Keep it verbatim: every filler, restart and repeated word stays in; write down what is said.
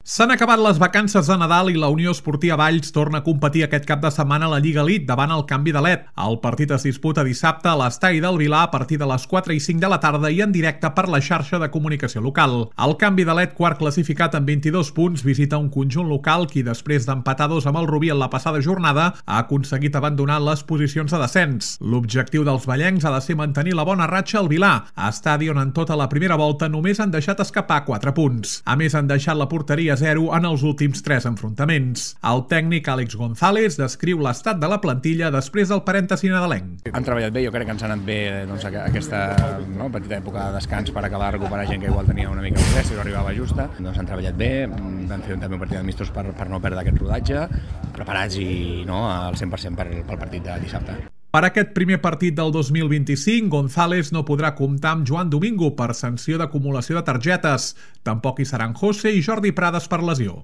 S'han acabat les vacances de Nadal i la Unió Esportiva Valls torna a competir aquest cap de setmana a la Lliga Elite davant el Canvi de Led. El partit es disputa dissabte a l'estadi del Vilar a partir de les quatre i cinc de la tarda i en directe per la xarxa de comunicació local. El Canvi de Led, quart classificat amb vint-i-dos punts, visita un conjunt local qui, després d'empatar dos amb el Rubí en la passada jornada, ha aconseguit abandonar les posicions de descens. L'objectiu dels vallencs ha de ser mantenir la bona ratxa al Vilar, estadi on en tota la primera volta només han deixat escapar quatre punts. A més, han deixat la porteria zero en els últims tres enfrontaments. El tècnic Àlex González descriu l'estat de la plantilla després del parèntesi nadalenc. Han treballat bé, jo crec que ens ha anat bé doncs, aquesta no, petita època de descans per acabar de recuperar gent que igual tenia una mica de stress i no arribava justa. Doncs han treballat bé, van fer també un partit d'amistos per, per no perdre aquest rodatge, preparats i no, al cent per cent per, pel partit de dissabte. Per aquest primer partit del dos mil vint-i-cinc, González no podrà comptar amb Joan Domingo per sanció d'acumulació de targetes. Tampoc hi seran José i Jordi Prades per lesió.